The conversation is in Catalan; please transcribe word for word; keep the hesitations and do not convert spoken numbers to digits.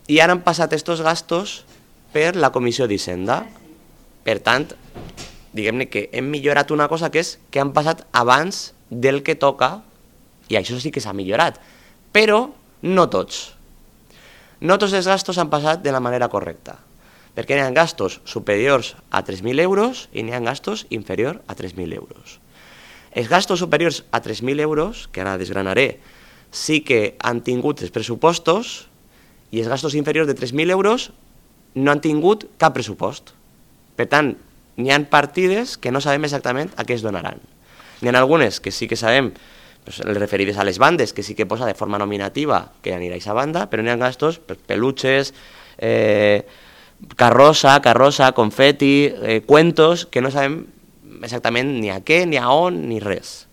i ara han passat aquests gastos per la Comissió d'Hisenda. Per tant, diguem-ne que hem millorat una cosa que és que han passat abans del que toca, i això sí que s'ha millorat, però no tots. No tots els gastos han passat de la manera correcta, perquè n'hi ha gastos superiors a tres mil euros i n'hi ha gastos inferiors a tres mil euros. Els gastos superiors a tres mil euros, que ara desgranaré, sí que han tingut els pressupostos, i els gastos inferiors de tres mil euros no han tingut cap pressupost. Per tant, n'hi ha partides que no sabem exactament a què es donaran. N'hi ha algunes que sí que sabem, pues, les referides a les bandes, que sí que posa de forma nominativa que anirà a aquesta banda, però n'hi ha gastos, pues, peluches, eh, carrossa, carrossa, confeti, eh, cuentos, que no sabem exactament ni a què, ni a on, ni res.